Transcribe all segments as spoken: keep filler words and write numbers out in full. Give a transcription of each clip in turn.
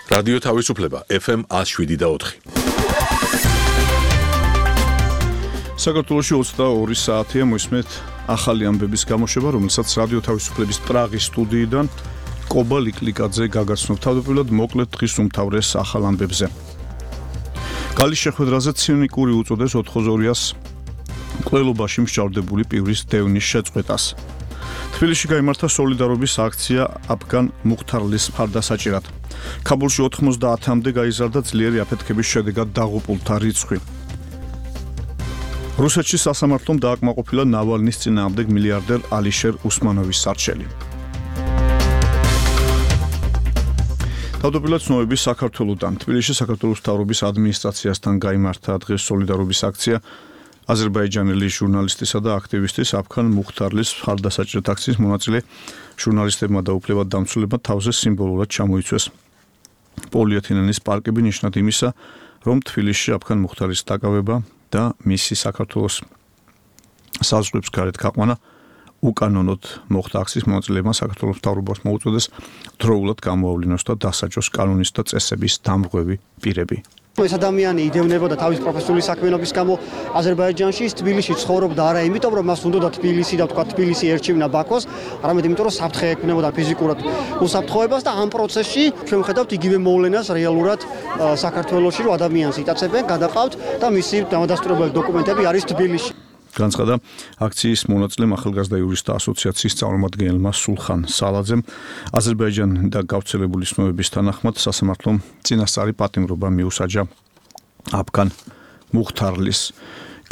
რადიო თავისუფლება ეფ ემ ათს შვიდი და ოთხი. საქართველოში ოცდაორი საათია მოისმენთ ახალი ამბების გამოშვება, რომელსაც რადიო თავისუფლების პრაღის სტუდიიდან კობა ლიკლიკაძე გაგაცნობს. თავდაპირველად მოკლედ დღის უმთავრეს ახალ ამბებზე. გალის შეხვედრაზე ცინიკური უწოდეს ოთხგზორიას მკვლელობაში მსჯავრდებული პირის დევნის შეწყვეტას. თბილისში გაიმართა სოლიდარობის აქცია აფგან მუხთარლის მხარდასაჭერად. ქაბულში ოთხმოცდაათამდე გაიზარდა ძლიერი აფეთქების შედეგად დაღუპულთა რიცხვი. რუსეთში სასამართლომ დააკმაყოფილა ნავალნის წინააღმდეგ მილიარდერ ალიშერ უსმანოვის სარჩელი. თავდაპირველად ცნობები საქართველოდან. თბილისში საქართველოს მთავრობის ადმინისტრაციასთან გაიმართა დღეს სოლიდარობის აქცია აზერბაიჯანელი ჟურნალისტისა და აქტივისტის აფგან მუხთარლის მხარდასაჭერად აქციის მონაწილე ჟურნალისტებმა და უფლებადდამცველებმა თავზე სიმბოლურად ჩამოიცვეს პოლიეთილენის პარკები ნიშნად იმისა, რომ თბილისში აფგან მუხთარის დაკავება და მისი საქართველოს საზღვრებს გარეთ გაყვანა უკანონოდ მოხდა. აქციის მონაწილეებმა საქართველოს მთავრობას მოუწოდეს დროულად გამოავლინოს და დასაჯოს კანონის და წესების დამრღვევი პირები. ეს ადამიანი იდევნებოდა თავის პროფესიული საქმიანობის გამო აზერბაიჯანში, თბილისში ცხოვრობდა არა იმიტომ, რომ მას უნდოდა თბილისი და თქვა თბილისი ერჩივნა ბაქოს, არამედ იმიტომ, რომ საფრთხე ექმნებოდა ფიზიკურად უსაფრთხოებას და ამ პროცესში ჩვენ ვხედავთ იგივე მოვლენას რეალურად საქართველოში, რომ ადამიანს იტაცებენ, გადაყავთ და მისი დამადასტურებელი დოკუმენტები არის თბილისში. განცხადა აქციის მონაწილემ ახალგაზრდა იურისტთა ასოციაციის წარმომადგენელმა სულხან სალაძემ. აზერბაიჯანი და გავრცელებული ცნობების თანახმად სასამართლომ წინასწარი პატიმრობა მიუსაჯა აფგან მუხთარლის.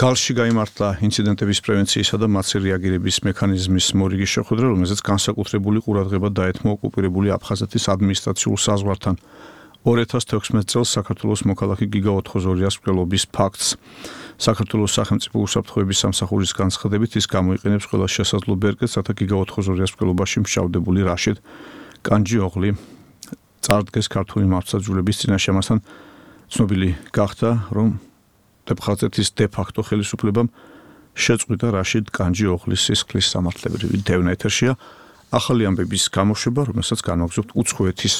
გალში გაიმართა ინციდენტების პრევენციისა და მათზე რეაგირების მექანიზმის მორიგი შეხვედრა, რომელზეც განსაკუთრებული ყურადღება დაეთმო ოკუპირებული აფხაზეთის ადმინისტრაციულ საზღვართან ორი ათას თექვსმეტ წელს საქართველოს მოქალაქე გიგა ოთხგზორიას მკვლელობის ფაქტს. საქართველოს სახელმწიფო უსაფრთხოების სამსახურის განცხადებით ის გამოიყენებს ყველა შესაძლო ბერკეტს, რათა გიგა ოთხგზორიას მკვლელობაში მსჯავრდებული რაშიდ კანჯიოღლი წარდგეს ქართული მართლმსაჯულების წინაშე. ამასთან ცნობილი გახდა, რომ ტეპხაზეთის დე-ფაქტო ხელისუფლებამ შეწყვიტა რაშიდ კანჯიოღლის სისხლის სამართლებრივი დევნა. ეთერშია ახალი ამბების გამოშვება, რომელსაც განვაგრძობთ უცხოეთის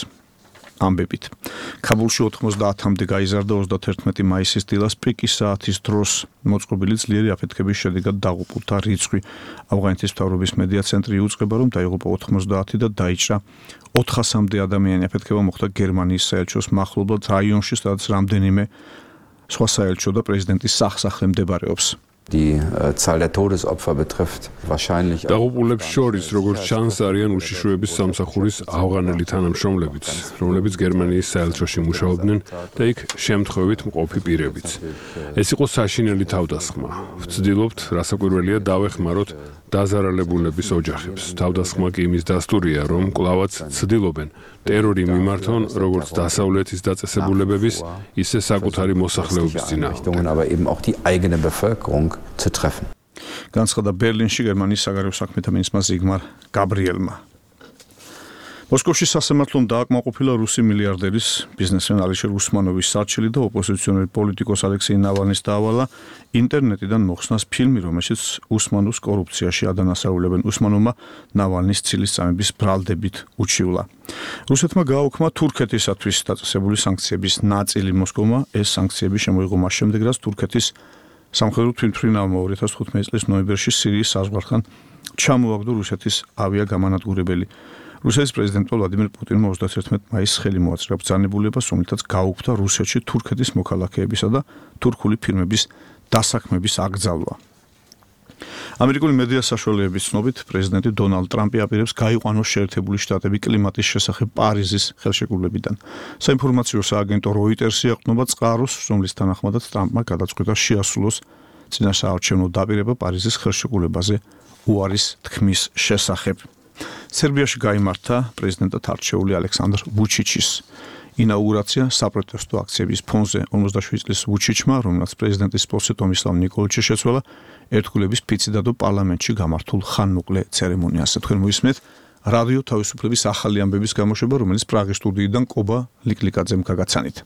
ამბებით. ქაბულში ოთხმოცდაათამდე გაიზარდა ოცდათერთმეტი მაისის დილას პიკის საათის დროს მოწყობილი ძლიერი აფეთქების შედეგად დაღუპულთა რიცხვი. ავღანეთის მთავრობის მედია ცენტრი იუწყება, რომ დაიღუპა ოთხმოცდაათი და დაიჭრა ოთხასამდე ადამიანი. აფეთქება მოხდა გერმანიის საელჩოს მახლობლად რაიონში, სადაც რამდენიმე სხვა საელჩო და პრეზიდენტის სახსახლე მდებარეობს. Die Zahl der Todesopfer betrifft wahrscheinlich დაღუპულებს შორის როგორც ჩანს არიან უშიშროების სამსახურის ავღანელი თანამშრომლებიც, რომლებიც გერმანიის საელჩოში მუშაობდნენ და იქ შემთხვევით მყოფი პირებიც. ეს იყო საშინელი თავდასხმა. ვცდილობთ, რასაკვირველია, დავეხმაროთ დაზარალებულების ოჯახებს. თავდასხმა კი იმის დასტურია, რომ კვლავაც ცდილობენ ტერორი მიმართონ როგორც დასავლეთის დაწესებულებების, ისე საკუთარი მოსახლეობის წინააღმდეგ. aber eben auch die eigene Bevölkerung zu treffen. განცხადა ბერლინში გერმანიის საგარეო საქმეთა მინისტრმა ზიგმარ გაბრიელმა. მოსკოვში სასამართლომ დააკმაყოფილა რუსი მილიარდერის ბიზნესმენ ალიშერ უსმანოვის სარჩელი და ოპოზიციონერი პოლიტიკოს ალექსეი ნავალნის დაავალა ინტერნეტიდან მოხსნას ფილმი, რომელშიც უსმანოს კორუფციაში ადანასაულებენ. უსმანოვმა ნავალნის ცილის წამების ბრალდებით უჩივლა. რუსეთმა გააუქმა თურქეთისათვის დაწესებული სანქციების ნაწილი. მოსკოვმა ეს სანქციები შემოიღო მას შემდეგ, რაც თურქეთის სამხედრო თვითმფრინავმა ორი ათას თხუთმეტი წლის ნოემბერში სირიის საზღვართან ჩამოაგდო რუსეთის ავიაგამანადგურებელი. რუსეთის პრეზიდენტმა ვლადიმერ პუტინმა ოცდათერთმეტ მაისს ხელი მოაწერა ბრძანებულებას, რომლითაც გაუქმდა რუსეთში თურქეთის მოქალაქეებისა და თურქული ფირმების დასაქმების აკრძალვა. ამერიკული მედია საშუალებების ცნობით, პრეზიდენტი დონალდ ტრამპი აპირებს გაიყვანოს შეერთებული შტატები კლიმატის შესახებ პარიზის ხელშეკრულებიდან. საინფორმაციო სააგენტო როიტერსი ეყრდნობა წყაროს, რომლის თანახმადაც ტრამპმა გადაწყვიტა შეასრულოს წინასაარჩევნო დაპირება პარიზის ხელშეკრულებაზე უარის თქმის შესახებ. სერბიაში გაიმართა პრეზიდენტად არჩეული ალექსანდრ ვუჩიჩის ინაუგურაცია საპროტესტო აქციების ფონზე. ორმოცდაშვიდი წლის ვუჩიჩმა, რომელსაც პრეზიდენტის პოსტზე ტომისლავ ნიკოლიჩი შეცვალა, ერთგულების ფიცი დადო პარლამენტში გამართულ ხანმოკლე ცერემონიაზე. თქვენ მოისმენთ რადიო თავისუფლების ახალი ამბების გამოშვება, რომელიც პრაღის სტუდიიდან კობა ლიკლიკაძემ გაგაცანით.